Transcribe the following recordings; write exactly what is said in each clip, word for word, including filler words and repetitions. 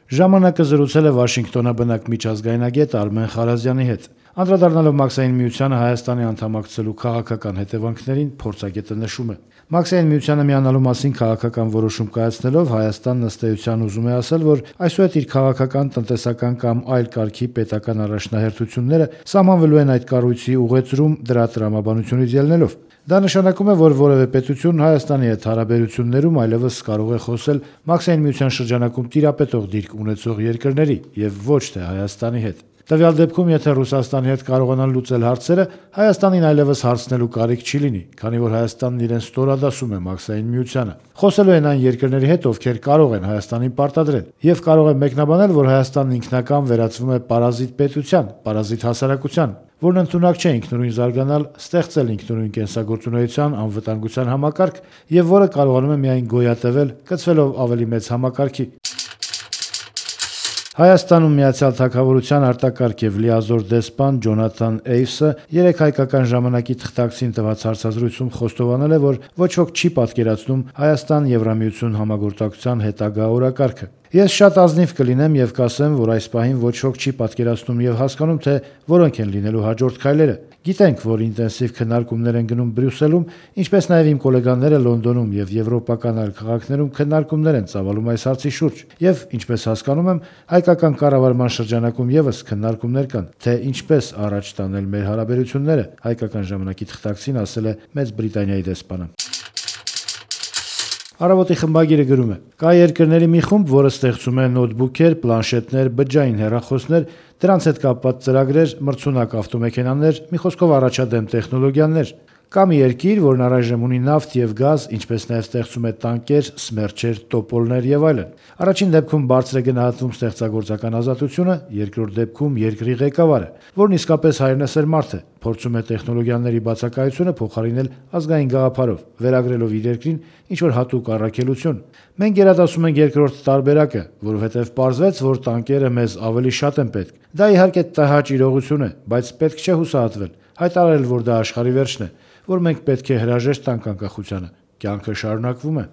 Ժամանակը զրուցել է Վաշինգտոնաբնակ միջազգայնագետ Արմեն Խարազյանի հետ։ Անդրադառնալով Մաքսային միությանը Հայաստանի անդամակցելու քաղաքական հետևանքներին, փորձագետը նշում է. Մաքսային միությանը միանալու մասին քաղաքական որոշում կայացնելով Հայաստանն ըստ էության ուզում է ասել, որ այսուհետ իր քաղաքական, տնտեսական կամ այլ կարգի պետական առաջնահերթությունները սահմանվելու են այդ կառույցի ուղեծրում դրա տրամաբանությունից ելնելով։ Դա նշանակում է, որ որևէ պետություն Հայաստանի հետ հարաբերություններում այլևս կարող է խոսել Մաքսային միության շրջանակում տիրապետող դիրք ունեցող երկրների եւ ոչ թե Հայաստանի հետ։ Տվյալ դեպքում, եթե Ռուսաստանի հետ կարողանան լուծել հարցերը, Հայաստանին այլևս հարցնելու կարիք չի լինի, քանի որ Հայաստանն իրեն ստորադասում է Մաքսային միությանը։ Խոսելու են այն երկրների հետ, ովքեր կարող են Հայաստանին պարտադրել, եւ կարող է մեկնաբանել, որ Հայաստանն ինքնական վերածվում է պարազիտ պետության, պարազիտ հասարակության, որն ընդունակ չէ ինքնուրույն զարգանալ, ստեղծել ինքնուրույն կենսագործունեության, անվտանգության համակարգ եւ որը կարողանում է միայն գոյատևել, կցվելով ավելի մեծ համակարգի։ Հայաստանում Միացյալ Թագավորության արտակարգ եւ լիազոր դեսպան Ջոնաթան Էյվսը երեք հայկական ժամանակի թղթակցին տված հարցազրույցում խոստովանել է, որ ոչ ոք չի պատկերացնում Հայաստան-Եվրամիություն համագործակցության հետագա օրակարգը։ Ես շատ ազնիվ կլինեմ եւ կասեմ, որ այս պահին ոչ ոք չի պատկերացնում եւ հասկանում, թե որոնք են լինելու հաջորդ քայլերը։ Գիտենք, որ ինտենսիվ քննարկումներ են գնում Բրյուսելում, ինչպես նաեւ իմ գոլեգաները Լոնդոնում եւ եվրոպական այլ քաղաքներում քննարկումներ են ծավալում այս հարցի շուրջ։ Եվ ինչպես հասկանում եմ, հայկական կառավարման շրջանակում եւս քննարկումներ կան, թե ինչպես առաջ տանել մեր հարաբերությունները, հայկական ժամանակի թղթակցին ասել է Մեծ Բրիտանիայի դեսպանը։ Առավոտի խմբագիրը գրում է. կա երկրների մի խումբ, որը ստեղծում է նոթբուքեր, պլանշետներ, բջջային հեռախոսներ, դրանց հետ կապված ծրագրեր, մրցունակ ավտոմեքենաներ, մի խոսքով առաջադեմ տեխնոլոգիաներ։ Կա մի երկիր, որն առայժմ ունի նավթ եւ գազ, ինչպես նաեւ ստեղծում է տանկեր, սմերչեր, տոպոլներ եւ այլն։ Առաջին դեպքում բարձր է գնահատվում ստեղծագործական ազատությունը, երկրորդ դեպքում երկրի ղեկավարը, որն իսկապես հայրենասեր մարդ է, փորձում է տեխնոլոգիաների բացակայությունը փոխարինել ազգային գաղափարով, վերագրելով իր երկրին ինչ-որ հատուկ առաքելություն։ Մենք գերադասում ենք երկրորդ տարբերակը, որովհետև պարզվեց, որ տանկերը մեզ ավելի շատ են պետք։ Դա իհարկե տհաճ իրողություն է, բայց պետք չէ հուսահատվել, հայտարարել, որ դա աշխարհի վերջն է, որ մենք պետք է հրաժեշտ տանք անկախությանը։ Կյանքը շարունակվում է։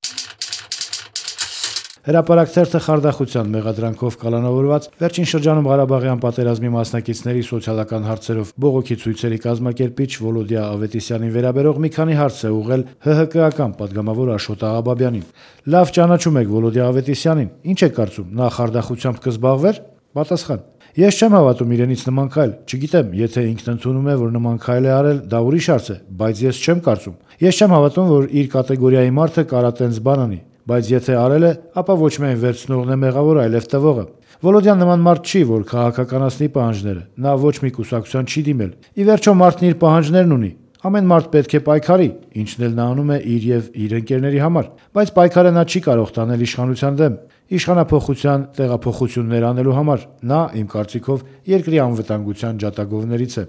Հրապարակ թերթը խարդախության մեղադրանքով կալանավորված, վերջին շրջանում Ղարաբաղյան պատերազմի մասնակիցների սոցիալական հարցերով բողոքի ցույցերի կազմակերպիչ Վոլոդիա Ավետիսյանին վերաբերող մի քանի հարց է ուղղել ՀՀԿ-ական պատգամավոր Աշոտ Աղաբաբյանին։ Լավ ճանաչում եք Վոլոդիա Ավետիսյանին, ինչ եք կարծում, նա խարդախությամբ կզբաղվեր։ Պատասխան. Ես չեմ հավատում իրենից նման քայլ, չգիտեմ, եթե ինքն ընդունում է, որ նման քայլ է արել, դա ուրիշ հարց է, բայց ես չեմ կարծում։ Ես չեմ հավատում, որ իր կատեգորիայի մարդը կարատենց բան անի, բայց եթե արել է, ապա ոչ միայն վերցնողն է մեղավոր, այլև տվողը։ Վոլոդյան նման մարդ չի, որ քաղաքականացնի պահանջները, նա ոչ մի կուսակցության չի դիմել։ Ի վերջո մարդն իր պահանջներն ունի։ Ամեն մարդ պետք է պայքարի, ինչն էլ նա անում է իր եւ իր ընկերների համար, բայց պայքարը նա չի կարող տանել իշխանության դեմ, իշխանափոխության տեղափոխություններ անելու համար։ Նա, իմ կարծիքով, երկրի անվտանգության ջատագովներից է։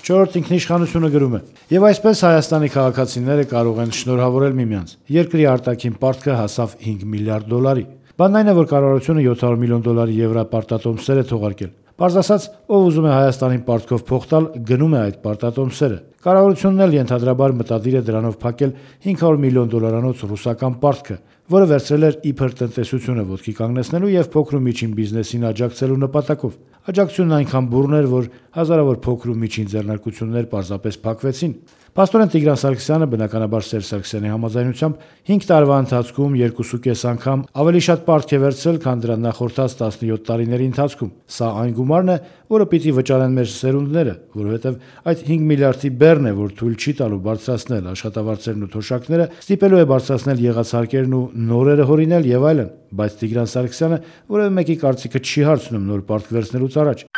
Չորրորդ ինքնիշխանությունը գրում է. Եվ այսպես Հայաստանի քաղաքացիները կարող են շնորհավորել միմյանց։ Երկրի արտաքին պարտքը հասավ հինգ միլիարդ դոլարի։ Բանն այն է, որ կառավարությունը յոթ հարյուր միլիոն դոլարի եվրապարտատոմսեր է թողարկել։ Պարզ ասած, ով ուզում է Հայաստանին պարտքով փող տալ, գնում է այդ պարտատոմսերը։ Կառավարությունն էլ ենթադրաբար մտադիր է դրանով փակել հինգ հարյուր միլիոն դոլարանոց ռուսական պարտքը, որը վերցրել էր իբր տնտեսությունը ոտքի կանգնեցնելու եւ փոքր ու միջին բիզնեսին աջակցելու նպատակով։ Աջակցությունն այնքան բուռն էր, որ հազարավոր փոքր ու միջին ձեռնարկություններ պարզապես փակվեցին։ Պաստորեն Տիգրան Սարգսյանը, բնականաբար Սերժ Սարգսյանի համաձայնությամբ, հինգ տարվա ընթացքում երկուսու կես անգամ ավելի շատ պարտք է վերցրել, քան դրան նախորդած տասնյոթ տարիների ընթացքում։ Սա այն գումարն է, որը պիտի վճարեն մեր սերունդները, որովհետև այդ հինգ միլիարդի բեռն է, որ թույլ չի տալու բարձրացնել աշխատավարձերն ու թոշակները, ստիպելու է բարձրացնել եղածհարկերն ու նորերը հորինել եւ այլն, բայց Տիգրան Սարգսյանը որևէ մեկի կարծիքը չի հարցնում նոր պարտք վերցնելուց առաջ։